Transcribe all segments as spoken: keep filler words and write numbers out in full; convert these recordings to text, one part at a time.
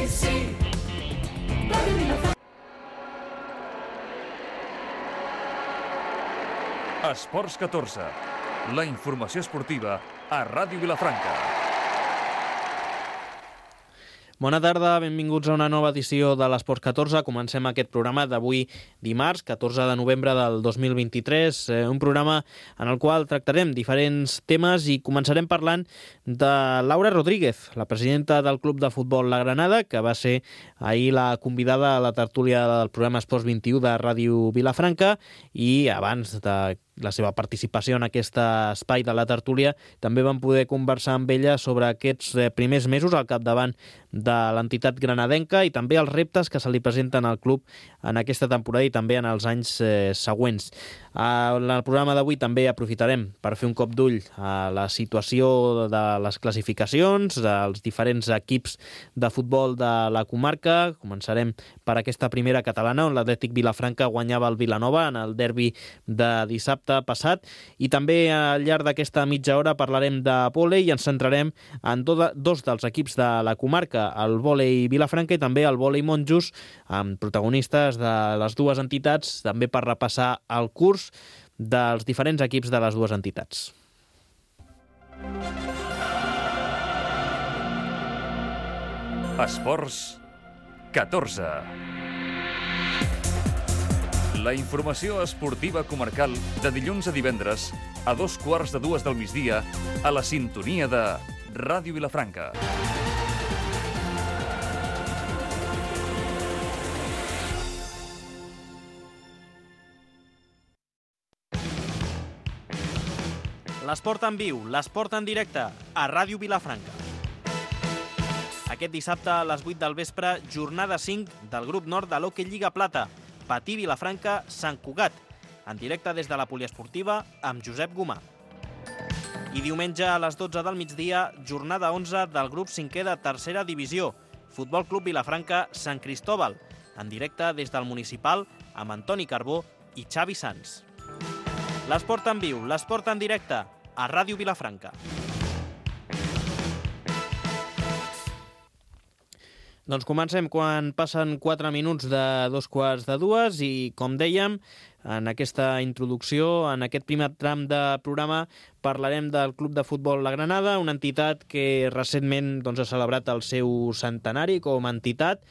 sí, sí. Ràdio Vilafranca. Esports catorze. La informació esportiva a Ràdio Vilafranca. Bona tarda, benvinguts a una nova edició de l'Esports catorze. Comencem aquest programa d'avui dimarts, catorze de novembre del dos mil vint-i-tres, eh, un programa en el qual tractarem diferents temes i començarem parlant de Laura Rodríguez, la presidenta del Club de Futbol La Granada, que va ser ahir la convidada a la tertúlia del programa Esports vint-i-u de Ràdio Vilafranca, i abans de la seva participació en aquest espai de la tertúlia també vam poder conversar amb ella sobre aquests primers mesos al capdavant de l'entitat granadenca i també els reptes que se li presenten al club en aquesta temporada i també en els anys eh, següents. En el programa d'avui també aprofitarem per fer un cop d'ull a la situació de les classificacions dels diferents equips de futbol de la comarca. Començarem per aquesta primera catalana, on l'Atlètic Vilafranca guanyava el Vilanova en el derbi de dissabte passat, i també al llarg d'aquesta mitja hora parlarem de vòlei i ens centrarem en dos dels equips de la comarca, el vòlei Vilafranca i també el vòlei Monjos, amb protagonistes de les dues entitats, també per repassar el curs dels diferents equips de les dues entitats. Esports catorze. La informació esportiva comarcal de dilluns a divendres a dos quarts de dues del migdia a la sintonia de Ràdio Vilafranca. L'esport en viu, l'esport en directe, a Ràdio Vilafranca. Aquest dissabte a les vuit del vespre, jornada cinc del grup nord de l'Hockey Lliga Plata, Patí Vilafranca, Sant Cugat, en directe des de la poliesportiva amb Josep Gomà. I diumenge a les dotze del migdia, jornada onze del grup cinquè de tercera divisió, Futbol Club Vilafranca Sant Cristóbal, en directe des del municipal amb Antoni Carbó i Xavi Sans. L'esport en viu, l'esport en directe, a Ràdio Vilafranca. Doncs comencem quan passen quatre minuts de dos quarts de dues i, com dèiem, en aquesta introducció, en aquest primer tram de programa, parlarem del Club de Futbol La Granada, una entitat que recentment doncs, ha celebrat el seu centenari com a entitat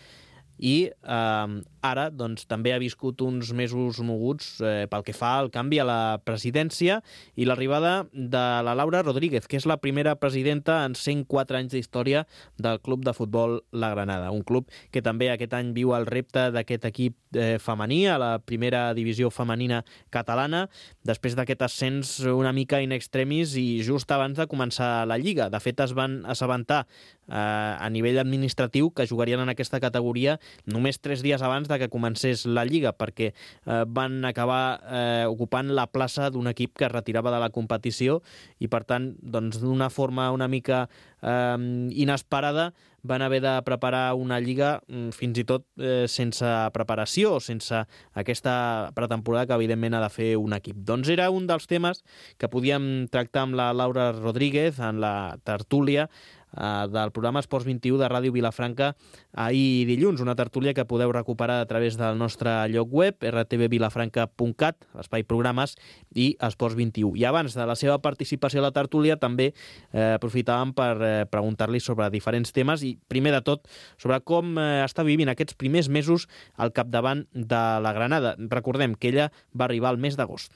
i eh, ara doncs, també ha viscut uns mesos moguts eh, pel que fa al canvi a la presidència i l'arribada de la Laura Rodríguez, que és la primera presidenta en cent quatre anys d'història del Club de Futbol La Granada. Un club que també aquest any viu el repte d'aquest equip eh, femení a la primera divisió femenina catalana, després d'aquest ascens una mica in extremis i just abans de començar la Lliga. De fet, es van assabentar eh, a nivell administratiu que jugarien en aquesta categoria només tres dies abans de que comencés la Lliga, perquè eh, van acabar eh, ocupant la plaça d'un equip que es retirava de la competició i, per tant, doncs, d'una forma una mica eh, inesperada van haver de preparar una Lliga fins i tot eh, sense preparació, sense aquesta pretemporada que evidentment ha de fer un equip. Doncs era un dels temes que podíem tractar amb la Laura Rodríguez en la tertúlia eh, del programa Esports vint-i-u de Ràdio Vilafranca ahir dilluns, una tertúlia que podeu recuperar a través del nostre lloc web, r t v vilafranca punt cat, l'espai programes i Esports vint-i-u. I abans de la seva participació a la tertúlia també eh, aprofitàvem per eh, preguntar-li sobre diferents temes i, primer de tot, sobre com eh, està vivint aquests primers mesos al capdavant de la Granada. Recordem que ella va arribar al mes d'agost.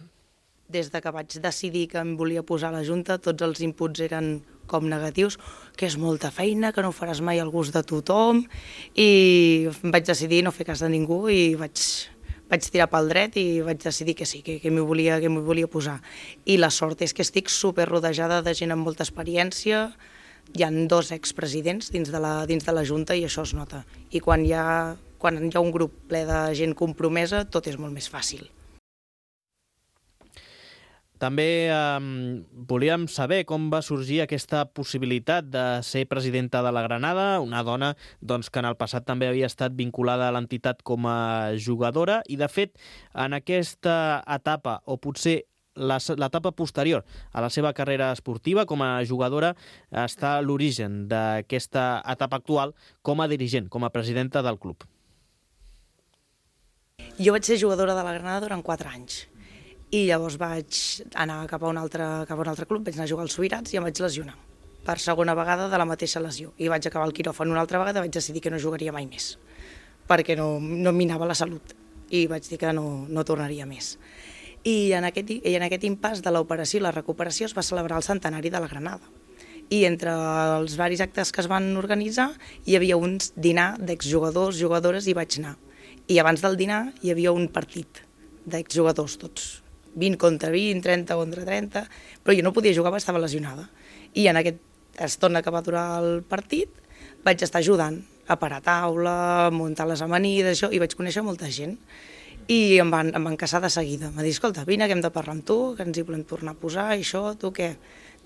Des de que vaig decidir que em volia posar a la Junta, tots els inputs eren com negatius, que és molta feina, que no faràs mai al gust de tothom, i vaig decidir no fer cas de ningú i vaig, vaig tirar pel dret i vaig decidir que sí, que, que m'hi volia, que m'hi volia posar. I la sort és que estic super rodejada de gent amb molta experiència, hi ha dos expresidents dins de la, dins de la Junta i això es nota. I quan hi ha, quan hi ha un grup ple de gent compromesa, tot és molt més fàcil. També eh, volíem saber com va sorgir aquesta possibilitat de ser presidenta de la Granada, una dona doncs, que en el passat també havia estat vinculada a l'entitat com a jugadora i, de fet, en aquesta etapa, o potser l'etapa posterior a la seva carrera esportiva com a jugadora està l'origen d'aquesta etapa actual com a dirigent, com a presidenta del club. Jo vaig ser jugadora de la Granada durant quatre anys i llavors vaig anar cap a un altre, cap a un altre club, vaig anar a jugar als Subirats i em vaig lesionar per segona vegada de la mateixa lesió i vaig acabar el quiròfan una altra vegada, vaig decidir que no jugaria mai més perquè no, no em minava la salut i vaig dir que no, no tornaria més. I en aquest, i en aquest impàs de l'operació i la recuperació es va celebrar el centenari de la Granada. I entre els varis actes que es van organitzar hi havia un dinar d'exjugadors, jugadores i vaig anar. I abans del dinar hi havia un partit d'exjugadors tots, vint contra vint, trenta contra trenta, però jo no podia jugar perquè estava lesionada. I en aquest estona que va durar el partit vaig estar ajudant a parar taula, a muntar les amanides, això, i vaig conèixer molta gent. I em van, em van caçar de seguida. Em va dir, escolta, vine que hem de parlar amb tu, que ens hi volem tornar a posar, i això, tu què?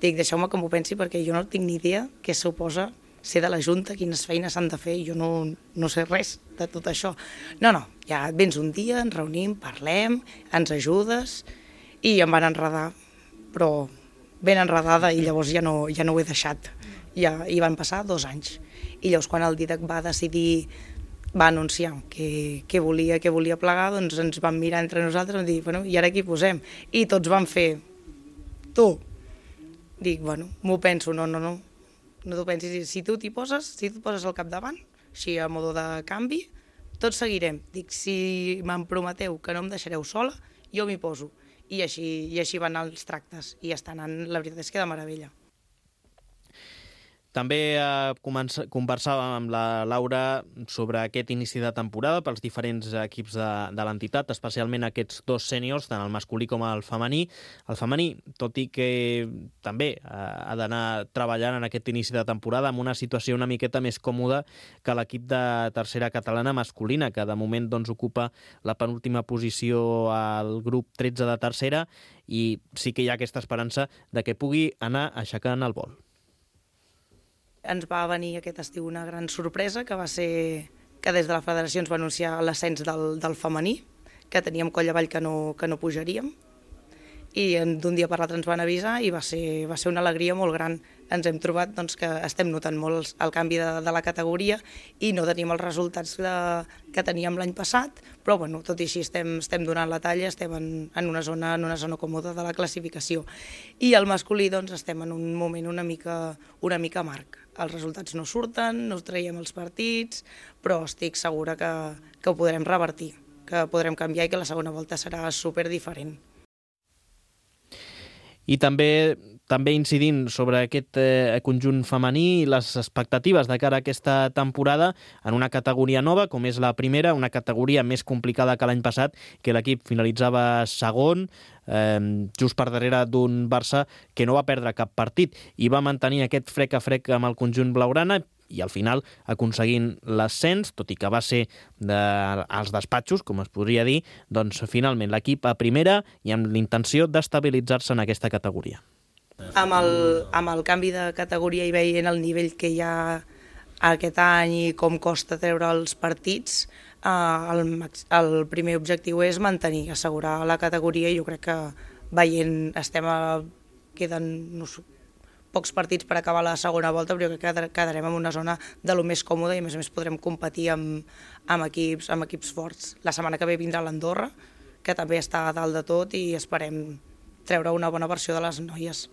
Dic, deixeu-me que m'ho pensi perquè jo no tinc ni idea què suposa ser de la Junta, quines feines s'han de fer, i jo no, no sé res de tot això. No, no, ja et vens un dia, ens reunim, parlem, ens ajudes, i em van enredar, però ben enredada, i llavors ja no, ja no ho he deixat. Ja, i van passar dos anys. I llavors quan el Dídac va decidir, va anunciar que, que, volia, que volia plegar, doncs ens vam mirar entre nosaltres i vam dir, bueno, i ara qui posem? I tots van fer, tu. Dic, bueno, m'ho penso, no, no, no. No t'ho pensis, si tu t'hi poses, si tu et poses al capdavant, així a modo de canvi, tots seguirem. Dic, si me'n prometeu que no em deixareu sola, jo m'hi poso. I així, i així van anar els tractes, i està anant, la veritat és que de meravella. També eh, conversàvem amb la Laura sobre aquest inici de temporada pels diferents equips de, de l'entitat, especialment aquests dos sèniors, tant el masculí com el femení. El femení, tot i que també eh, ha d'anar treballant en aquest inici de temporada amb una situació una miqueta més còmoda que l'equip de tercera catalana masculina, que de moment doncs, ocupa la penúltima posició al grup tretze de tercera, i sí que hi ha aquesta esperança de que pugui anar aixecant el vol. Ens va venir aquest estiu una gran sorpresa, que va ser que des de la federació ens va anunciar l'ascens del, del femení, que teníem coll avall que no, que no pujaríem, i d'un dia per l'altre ens van avisar i va ser, va ser una alegria molt gran. Ens hem trobat doncs, que estem notant molt el canvi de, de la categoria i no tenim els resultats de, que teníem l'any passat, però bueno, tot i així estem, estem donant la talla, estem en, en, una zona, en una zona còmoda de la classificació. I el masculí doncs, estem en un moment una mica, una mica amarg. Els resultats no surten, no traiem els partits, però estic segura que, que ho podrem revertir, que podrem canviar i que la segona volta serà super diferent. I també també incidint sobre aquest eh, conjunt femení i les expectatives de cara a aquesta temporada en una categoria nova, com és la primera, una categoria més complicada que l'any passat, que l'equip finalitzava segon, eh, just per darrere d'un Barça que no va perdre cap partit i va mantenir aquest frec a frec amb el conjunt blaugrana, i al final aconseguint l'ascens, tot i que va ser de, als despatxos, com es podria dir, doncs finalment l'equip a primera i amb l'intenció d'estabilitzar-se en aquesta categoria. Amb el, amb el canvi de categoria i veient el nivell que hi ha aquest any i com costa treure els partits, eh, el, el primer objectiu és mantenir, assegurar la categoria, i jo crec que veient, estem a, queden no sé, pocs partits per acabar la segona volta, però jo crec que quedarem en una zona de lo més còmoda i a més a més podrem competir amb, amb, equips, amb equips forts. La setmana que ve vindrà l'Andorra, que també està a dalt de tot, i esperem treure una bona versió de les noies.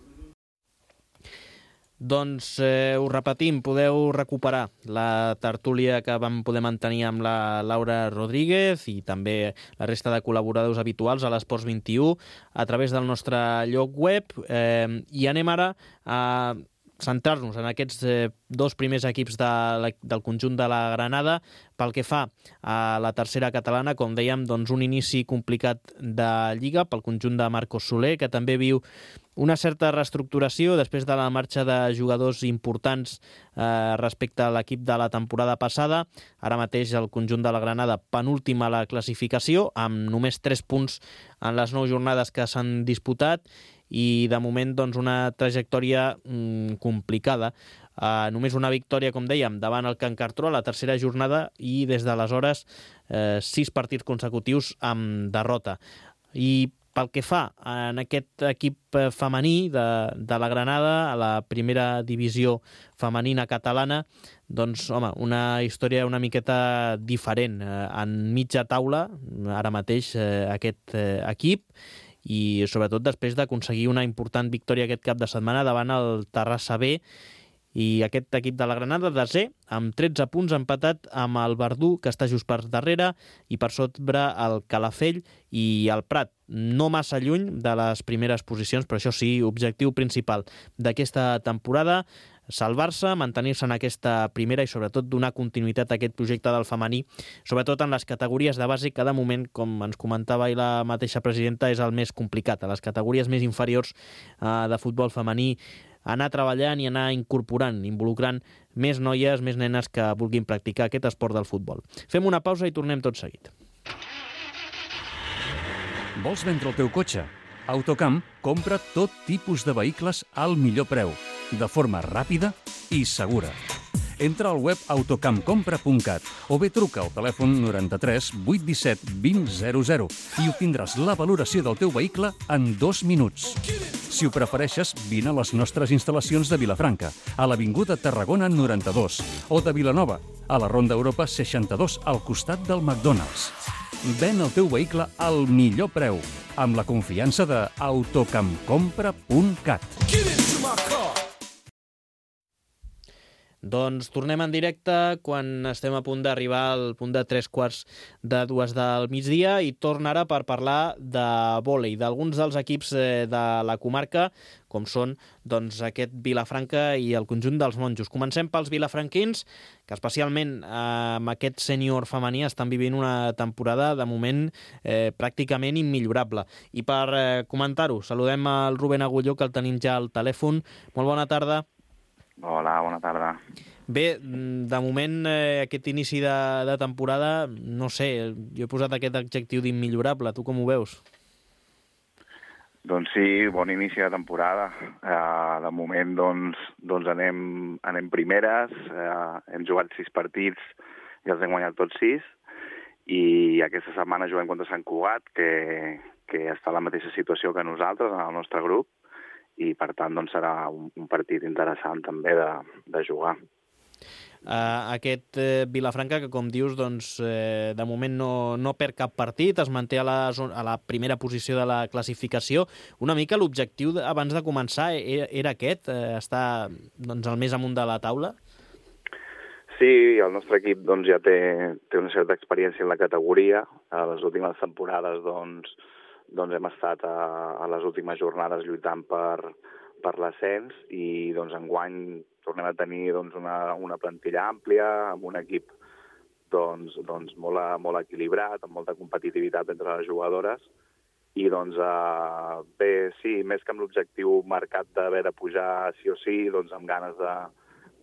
Doncs eh, ho repetim, podeu recuperar la tertúlia que vam poder mantenir amb la Laura Rodríguez i també la resta de col·laboradors habituals a l'Esports vint-i-u a través del nostre lloc web, eh, i anem ara a centrar-nos en aquests eh, dos primers equips de la, del conjunt de la Granada. Pel que fa a la tercera catalana, com dèiem, doncs un inici complicat de Lliga pel conjunt de Marcos Soler, que també viu una certa reestructuració després de la marxa de jugadors importants eh, respecte a l'equip de la temporada passada. Ara mateix el conjunt de la Granada penúltima a la classificació, amb només tres punts en les nou jornades que s'han disputat, i de moment doncs, una trajectòria mm, complicada. Uh, només una victòria, com dèiem, davant el Can Cartró a la tercera jornada, i des d'aleshores eh, sis partits consecutius amb derrota. I pel que fa en aquest equip femení de, de la Granada, a la primera divisió femenina catalana, doncs, home, una història una miqueta diferent. En mitja taula, ara mateix, aquest equip, i sobretot després d'aconseguir una important victòria aquest cap de setmana davant el Terrassa B, i aquest equip de la Granada, desè, amb tretze punts, empatat amb el Verdú, que està just per darrere, i per sobre el Calafell i el Prat. No massa lluny de les primeres posicions, però això sí, objectiu principal d'aquesta temporada, salvar-se, mantenir-se en aquesta primera i sobretot donar continuïtat a aquest projecte del femení, sobretot en les categories de base, que de moment, com ens comentava i la mateixa presidenta, és el més complicat. A les categories més inferiors eh, de futbol femení, anar treballant i anar incorporant, involucrant més noies, més nenes que vulguin practicar aquest esport del futbol. Fem una pausa i tornem tot seguit. Vols vendre el teu cotxe? Autocamp compra tot tipus de vehicles al millor preu, de forma ràpida i segura. Entra al web autocamp compra punt cat o bé truca al telèfon noranta-tres vuit disset vint zero zero i obtindràs la valoració del teu vehicle en dos minuts. Si ho prefereixes, vine a les nostres instal·lacions de Vilafranca, a l'Avinguda Tarragona noranta-dos, o de Vilanova, a la Ronda Europa seixanta-dos, al costat del McDonald's. Ven el teu vehicle al millor preu, amb la confiança de autocamp compra punt cat. Doncs tornem en directe quan estem a punt d'arribar al punt de tres quarts de dues del migdia i torna ara per parlar de vòlei, d'alguns dels equips de la comarca, com són doncs, aquest Vilafranca i el conjunt dels monjos. Comencem pels vilafranquins, que especialment eh, amb aquest sènior femení estan vivint una temporada de moment eh, pràcticament immillorable. I per eh, comentar-ho, saludem al Rubén Agulló, que el tenim ja al telèfon. Molt bona tarda. Hola, bona tarda. Bé, de moment, eh, aquest inici de, de temporada, no sé, jo he posat aquest adjectiu d'immillorable. Tu com ho veus? Doncs sí, bon inici de temporada. Uh, de moment, doncs, doncs anem, anem primeres, uh, hem jugat sis partits i els hem guanyat tots sis, i aquesta setmana juguem contra Sant Cugat, que, que està en la mateixa situació que nosaltres, en el nostre grup, i per tant doncs, serà un, un partit interessant també de, de jugar. Uh, aquest eh, Vilafranca, que com dius, doncs, eh, de moment no, no perd cap partit, es manté a la, a la primera posició de la classificació. Una mica l'objectiu de, abans de començar era, era aquest, eh, estar doncs, al més amunt de la taula? Sí, el nostre equip doncs, ja té, té una certa experiència en la categoria. A les últimes temporades doncs, doncs hem estat a, a les últimes jornades lluitant per, per l'ascens i doncs enguany tornem a tenir doncs, una, una plantilla àmplia, amb un equip doncs, doncs molt, molt equilibrat, amb molta competitivitat entre les jugadores i doncs eh, bé, sí, més que amb l'objectiu marcat d'haver de pujar sí o sí, doncs amb ganes de,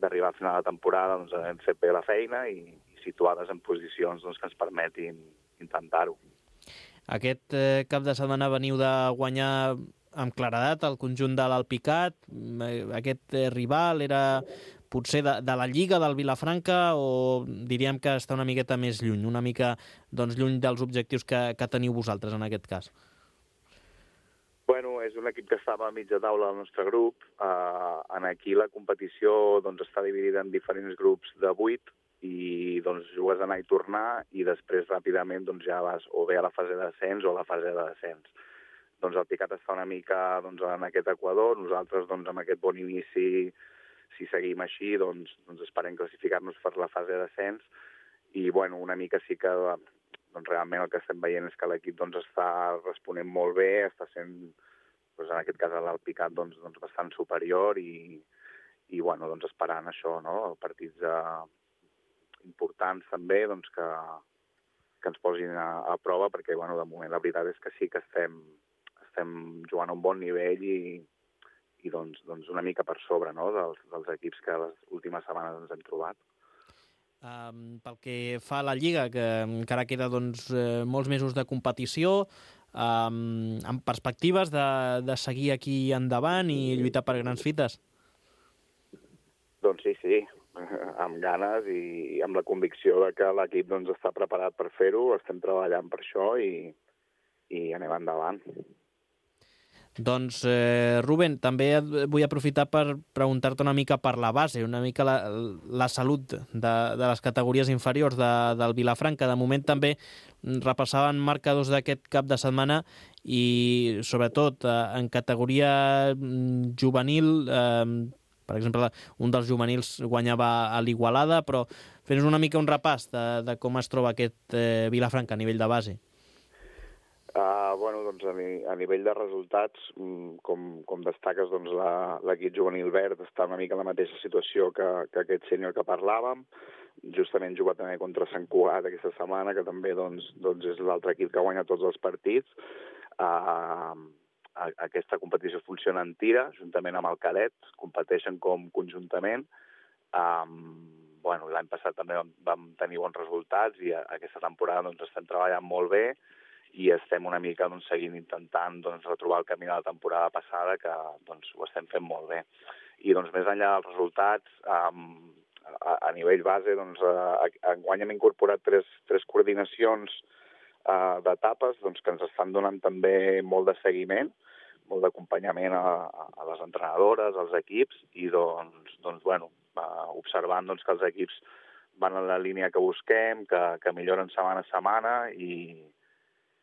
d'arribar al final de temporada, doncs hem fet bé la feina i, i situades en posicions doncs, que ens permetin intentar-ho. Aquest eh, cap de setmana veniu de guanyar amb claredat el conjunt de l'Alpicat. Aquest eh, rival era potser de, de la Lliga del Vilafranca o diríem que està una miqueta més lluny, una mica doncs, lluny dels objectius que, que teniu vosaltres en aquest cas? Bueno, és un equip que estava a mitja taula del nostre grup. Uh, en aquí la competició doncs, està dividida en diferents grups de vuit i doncs, jugues a anar i tornar i després ràpidament doncs, ja vas o bé a la fase d'ascens o a la fase de descens. Doncs el Picat està una mica doncs, en aquest equador, nosaltres doncs, amb aquest bon inici, si seguim així, doncs, doncs esperem classificar-nos per la fase d'ascens i bueno, una mica sí que doncs, realment el que estem veient és que l'equip doncs, està responent molt bé, està sent, doncs, en aquest cas l'Alpicat doncs, doncs, bastant superior i, i bueno, doncs, esperant això, no? Partits de importants també doncs, que, que ens posin a, a prova perquè bueno, de moment la veritat és que sí que estem, estem jugant a un bon nivell i, i doncs, doncs una mica per sobre no? dels, dels equips que les últimes setmanes ens hem trobat. Um, pel que fa a la Lliga, que encara queda doncs, eh, molts mesos de competició, um, amb perspectives de, de seguir aquí endavant i lluitar per grans fites? Doncs sí, sí, amb ganes i amb la convicció de que l'equip doncs, està preparat per fer-ho, estem treballant per això i, i anem endavant. Doncs, eh, Rubén, també vull aprofitar per preguntar-te una mica per la base, una mica la, la salut de, de les categories inferiors de, del Vilafranca. De moment també repassaven marcadors d'aquest cap de setmana i, sobretot, eh, en categoria juvenil, eh, per exemple, un dels juvenils guanyava a l'Igualada, però fes una mica un repàs de, de com es troba aquest eh, Vilafranca a nivell de base. Uh, bueno, doncs a, ni, a nivell de resultats, com, com destaques, doncs l'equip juvenil verd està una mica en la mateixa situació que, que aquest sènior que parlàvem. Justament juga també contra Sant Cugat aquesta setmana, que també doncs, doncs és l'altre equip que guanya tots els partits. Uh, aquesta competició funciona en tira, juntament amb el cadet, competeixen com conjuntament. Um, bueno, l'any passat també vam, vam tenir bons resultats i aquesta temporada doncs, estem treballant molt bé i estem una mica doncs, seguint intentant doncs, retrobar el camí de la temporada passada, que doncs, ho estem fent molt bé. I doncs, més enllà dels resultats, um, a, a nivell base, doncs, uh, enguany hem incorporat tres, tres coordinacions uh, d'etapes doncs, que ens estan donant també molt de seguiment, molt d'acompanyament a, a les entrenadores, als equips, i doncs, doncs bueno, uh, observant doncs, que els equips van en la línia que busquem, que, que milloren setmana a setmana, i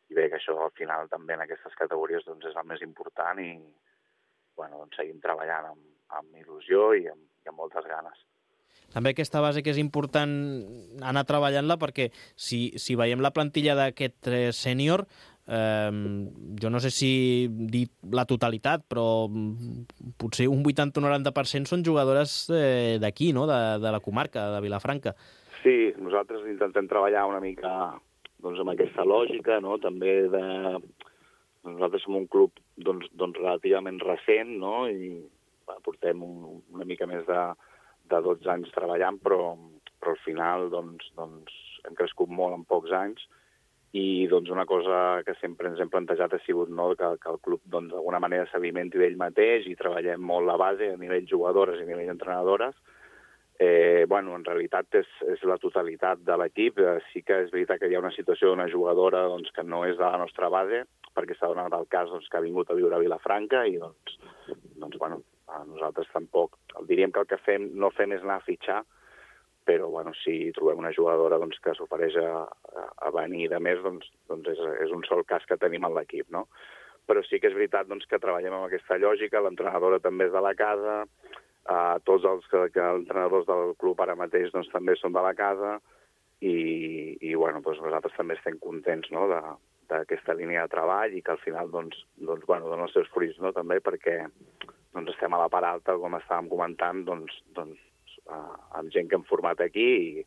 I bé, que això al final també en aquestes categories doncs, és el més important i bueno, doncs, seguim treballant amb, amb il·lusió i amb, i amb moltes ganes. També aquesta base que és important anar treballant-la perquè si, si veiem la plantilla d'aquest eh, sènior, eh, jo no sé si dir la totalitat, però potser un vuitanta o noranta per cent són jugadores eh, d'aquí, no? de, de la comarca, de Vilafranca. Sí, nosaltres intentem treballar una mica doncs, amb aquesta lògica, no? També de... Nosaltres som un club doncs, doncs, relativament recent, no? I va, portem un, una mica més de, de dotze anys treballant, però, però al final doncs, doncs, hem crescut molt en pocs anys i doncs, una cosa que sempre ens hem plantejat ha sigut no? que, que el club doncs, d'alguna manera s'alimenti d'ell mateix i treballem molt la base a nivell jugadores i a nivell entrenadores. Eh, bueno, en realitat és, és la totalitat de l'equip. Eh, sí que és veritat que hi ha una situació d'una jugadora doncs, que no és de la nostra base, perquè s'ha donat el cas doncs, que ha vingut a viure a Vilafranca i doncs, doncs bueno, nosaltres tampoc. Diríem que el que fem, no fem és anar a fitxar, però bueno, si trobem una jugadora doncs, que s'ofereix a, a venir de més, doncs, doncs és, és un sol cas que tenim en l'equip, no? Però sí que és veritat doncs, que treballem amb aquesta lògica, l'entrenadora també és de la casa. Uh, tots els que, que els entrenadors del club ara mateix doncs, també són de la casa i, i bueno, doncs nosaltres també estem contents no, d'aquesta línia de treball i que al final doncs, doncs, bueno, donen els seus fruits no, també perquè doncs, estem a la part alta, com estàvem comentant, doncs, doncs, uh, amb gent que hem format aquí i,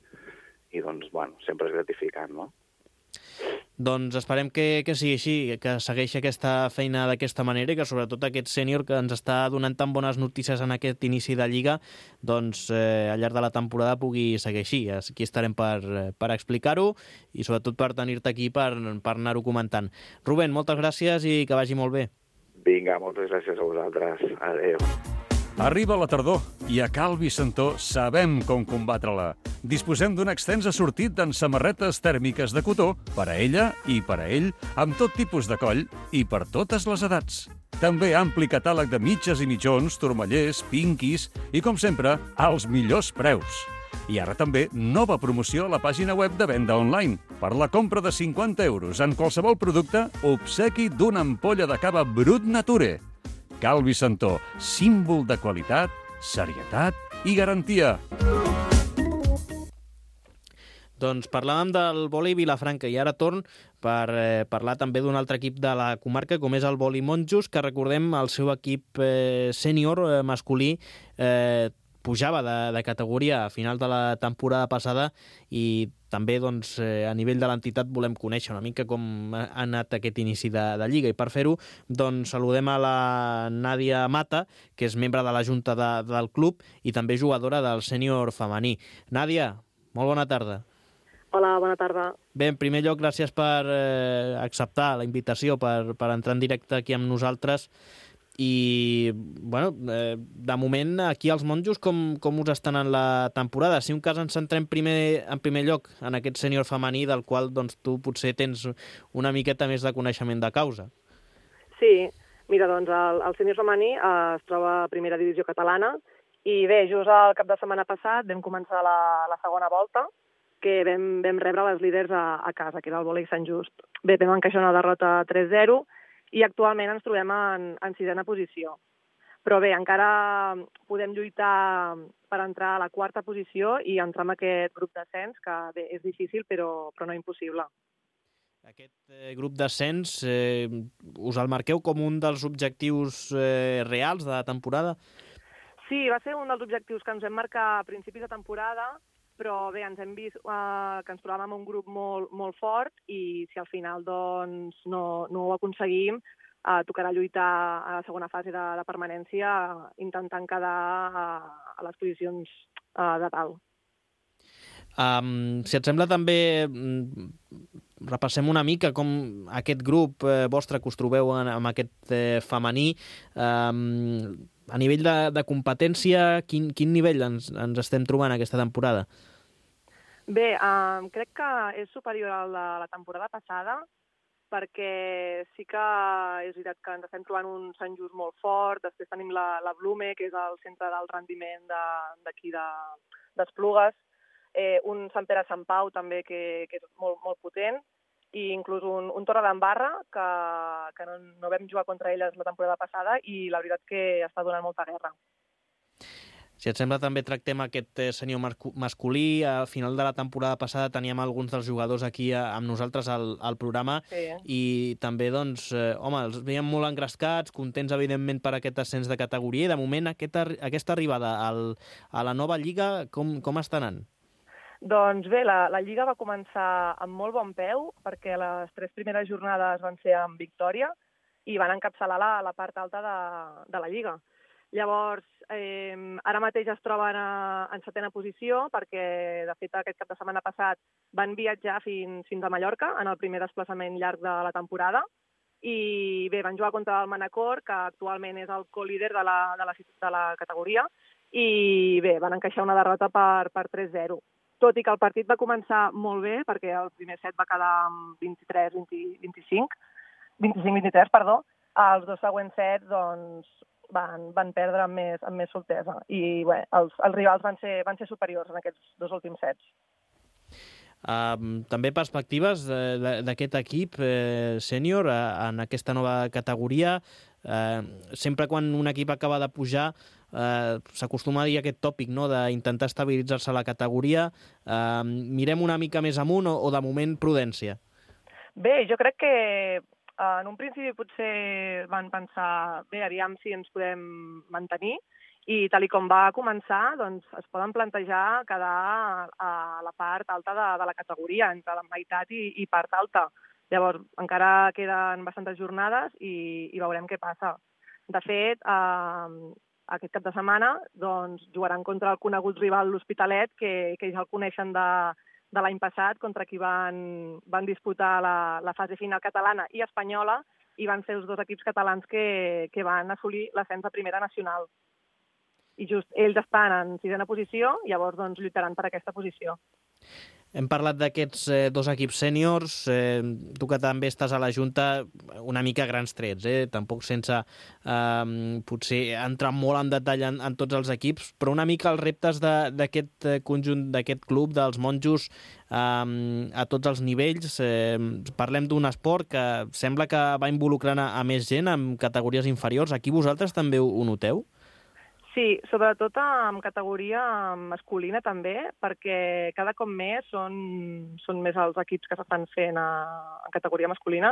i doncs, bueno, sempre és gratificant, no? Doncs esperem que, que sigui així, que segueixi aquesta feina d'aquesta manera i que sobretot aquest sènior que ens està donant tan bones notícies en aquest inici de Lliga, doncs eh, al llarg de la temporada pugui seguir així. Aquí estarem per, per explicar-ho i sobretot per tenir-te aquí per, per anar-ho comentant. Rubén, moltes gràcies i que vagi molt bé. Vinga, moltes gràcies a vosaltres. Adéu. Arriba la tardor i a Cal Vicentó sabem com combatre-la. Disposem d'un extens assortit en samarretes tèrmiques de cotó per a ella i per a ell, amb tot tipus de coll i per totes les edats. També ampli catàleg de mitges i mitjons, turmallers, pinquis i, com sempre, als millors preus. I ara també nova promoció a la pàgina web de venda online. Per la compra de cinquanta euros en qualsevol producte, obsequi d'una ampolla de cava Brut Nature. Cal Vicentó, símbol de qualitat, serietat i garantia. Doncs parlàvem del vòlei Vilafranca i ara torn per eh, parlar també d'un altre equip de la comarca com és el vòlei Monjos, que recordem el seu equip eh, sènior eh, masculí eh, pujava de, de categoria a final de la temporada passada i també doncs, eh, a nivell de l'entitat volem conèixer una mica com ha anat aquest inici de, de Lliga. I per fer-ho doncs, saludem a la Nàdia Mata, que és membre de la Junta de, del club i també jugadora del sènior femení. Nàdia, molt bona tarda. Hola, bona tarda. Bé, en primer lloc, gràcies per eh, acceptar la invitació, per, per entrar en directe aquí amb nosaltres. I, bueno, eh, de moment, aquí als Monjos, com, com us estan en la temporada? Si un cas ens centrem primer, en primer lloc en aquest sènior femení, del qual doncs, tu potser tens una miqueta més de coneixement de causa. Sí, Mira, doncs el, el sènior femení eh, es troba a primera divisió catalana i bé, just el cap de setmana passat vam començar la, la segona volta, que vam, vam rebre les líders a, a casa, que era el vòlei Sant Just. Bé, vam encaixar una derrota tres zero i actualment ens trobem en, en sisena posició. Però bé, encara podem lluitar per entrar a la quarta posició i entrar en aquest grup d'ascens, que bé, és difícil però, però no impossible. Aquest eh, grup d'ascens eh, us el marqueu com un dels objectius eh, reals de la temporada? Sí, va ser un dels objectius que ens vam marcar a principis de temporada, però bé, ens hem vist eh, que ens trobàvem en un grup molt, molt fort i si al final doncs, no, no ho aconseguim, eh, tocarà lluitar a la segona fase de, de permanència intentant quedar a, a les posicions eh, de dalt. Um, si et sembla també repassem una mica com aquest grup eh, vostre que us trobeu en, amb aquest eh, femení. Um, a nivell de, de competència, quin, quin nivell ens, ens estem trobant aquesta temporada? Bé, um, crec que és superior al de la temporada passada, perquè sí que és veritat que ens estem trobant un Sant Just molt fort, després tenim la, la Blume, que és el centre del rendiment d'aquí de, d'Esplugues, eh, un Sant Pere Sant Pau també, que, que és molt, molt potent, i inclús un, un Torre d'Embarra, que, que no, no vam jugar contra elles la temporada passada, i la veritat que està donant molta guerra. Si et sembla, també tractem aquest sènior masculí. A final de la temporada passada teníem alguns dels jugadors aquí amb nosaltres al, al programa, sí. I també, doncs, eh, home, els veiem molt engrescats, contents, evidentment, per aquest ascens de categoria, i de moment aquesta, aquesta arribada al, a la nova Lliga, com, com està anant? Doncs bé, la, la Lliga va començar amb molt bon peu, perquè les tres primeres jornades van ser amb victòria i van encapçalar la, la part alta de, de la Lliga. Llavors, eh, ara mateix es troben a, en setena posició perquè, de fet, aquest cap de setmana passat van viatjar fins, fins a Mallorca en el primer desplaçament llarg de la temporada i bé, van jugar contra el Manacor, que actualment és el co-líder de la, de la, de la categoria, i bé, van encaixar una derrota per, per tres zero. Tot i que el partit va començar molt bé, perquè el primer set va quedar amb vint-i-tres vint-i-cinc, vint-i-cinc vint-i-tres, perdó, els dos següents sets, doncs, van, van perdre amb més, amb més soltesa. I bé, els, els rivals van ser, van ser superiors en aquests dos últims sets. Uh, també perspectives d'aquest equip eh, sènior uh, en aquesta nova categoria. Uh, sempre quan un equip acaba de pujar uh, s'acostuma a dir aquest tòpic, no?, d'intentar estabilitzar-se a la categoria. Uh, mirem una mica més amunt o, o de moment prudència? Bé, jo crec que uh, en un principi potser van pensar bé, aviam si ens podem mantenir, i tal i com va començar, doncs es poden plantejar quedar a la part alta de, de la categoria, entre la meitat i, i part alta. Llavors, encara queden bastantes jornades i, i veurem què passa. De fet, eh, aquest cap de setmana doncs, jugaran contra el conegut rival l'Hospitalet, que, que ja el coneixen de, de l'any passat, contra qui van, van disputar la, la fase final catalana i espanyola, i van ser els dos equips catalans que, que van assolir l'ascens a primera nacional. I just ells estan en sisena posició, llavors doncs, lluitaran per aquesta posició. Hem parlat d'aquests eh, dos equips sèniors, eh, tu que també estàs a la Junta, una mica grans trets, eh? Tampoc sense eh, potser entrar molt en detall en, en tots els equips, però una mica els reptes d'aquest conjunt, d'aquest club, dels monjos, eh, a tots els nivells. Eh, parlem d'un esport que sembla que va involucrant a, a més gent en categories inferiors. Aquí vosaltres també ho, ho noteu? Sí, sobretot en categoria masculina també, perquè cada cop més són, són més els equips que s'estan fent a, en categoria masculina.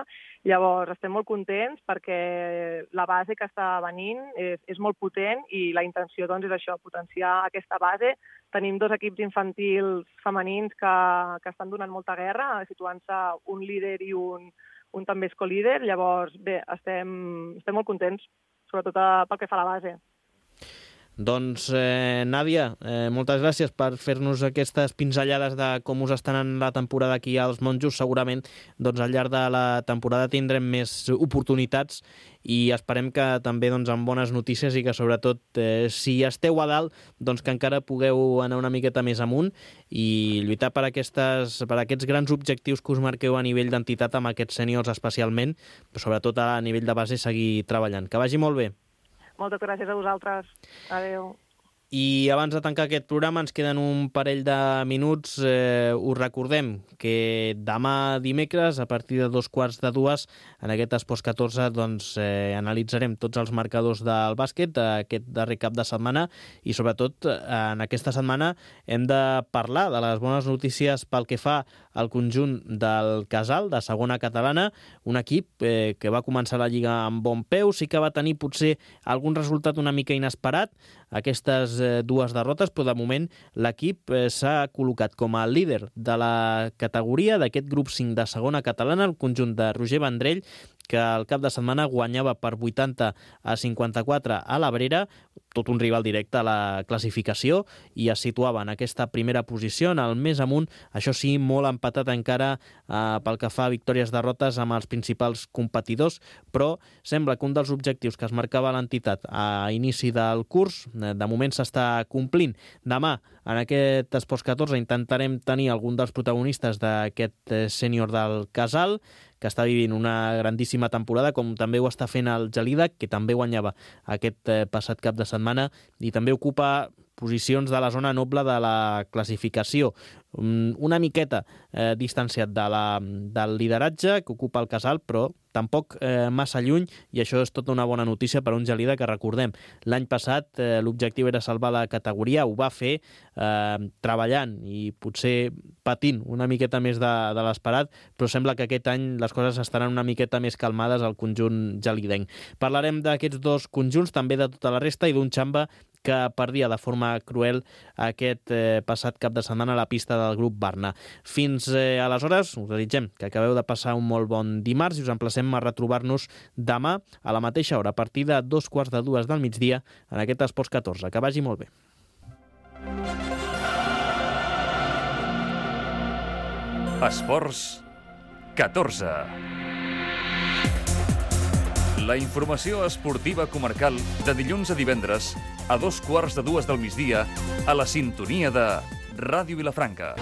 Llavors estem molt contents perquè la base que està venint és, és molt potent i la intenció doncs, és això, potenciar aquesta base. Tenim dos equips infantils femenins que, que estan donant molta guerra, situant-se un líder i un, un també és co-líder. Llavors, bé, estem, estem molt contents, sobretot pel que fa a la base. Doncs, eh, Nàdia, eh, moltes gràcies per fer-nos aquestes pinzellades de com us estan en la temporada aquí als Monjos. Segurament doncs, al llarg de la temporada tindrem més oportunitats i esperem que també doncs, amb bones notícies i que sobretot eh, si esteu a dalt doncs, que encara pugueu anar una miqueta més amunt i lluitar per, aquestes, per aquests grans objectius que us marqueu a nivell d'entitat amb aquests sèniors especialment, però sobretot a nivell de base seguir treballant. Que vagi molt bé. Moltes gràcies a vosaltres. Adéu. I abans de tancar aquest programa ens queden un parell de minuts. Eh, us recordem que demà dimecres, a partir de dos quarts de dues, en aquest Esports catorze, doncs, eh, analitzarem tots els marcadors del bàsquet aquest darrer cap de setmana i sobretot en aquesta setmana hem de parlar de les bones notícies pel que fa al conjunt del Casal, de segona catalana, un equip eh, que va començar la Lliga amb bon peu, sí que va tenir potser algun resultat una mica inesperat, aquestes eh, dues derrotes, però de moment l'equip eh, s'ha col·locat com a líder de la categoria d'aquest grup cinc de segona catalana, el conjunt de Roger Vendrell, que al cap de setmana guanyava per vuitanta a cinquanta-quatre a l'Abrera, tot un rival directe a la classificació, i es situava en aquesta primera posició, en el més amunt, això sí, molt empatat encara eh, pel que fa a victòries-derrotes amb els principals competidors, però sembla que un dels objectius que es marcava l'entitat a inici del curs, eh, de moment s'està complint. Demà, en aquest Esports catorze, intentarem tenir algun dels protagonistes d'aquest eh, sènior del Casal, que està vivint una grandíssima temporada, com també ho està fent el Gelida, que també guanyava aquest eh, passat cap de setmana i també ocupa posicions de la zona noble de la classificació. Una miqueta eh, distanciat de la, del lideratge que ocupa el Casal, però tampoc eh, massa lluny, i això és tota una bona notícia per a un Gelida que, recordem, l'any passat eh, l'objectiu era salvar la categoria, ho va fer eh, treballant i potser patint una miqueta més de, de l'esperat, però sembla que aquest any les coses estaran una miqueta més calmades al conjunt gelidenc. Parlarem d'aquests dos conjunts, també de tota la resta, i d'un Xamba que perdia de forma cruel aquest eh, passat cap de setmana a la pista del grup Barna. Fins eh, aleshores, us desitgem que acabeu de passar un molt bon dimarts i us emplacem a retrobar-nos demà a la mateixa hora, a partir de dos quarts de dues del migdia, en aquest Esports catorze. Que vagi molt bé. Esports catorze. La informació esportiva comarcal de dilluns a divendres a dos quarts de dues del migdia a la sintonia de Ràdio Vilafranca.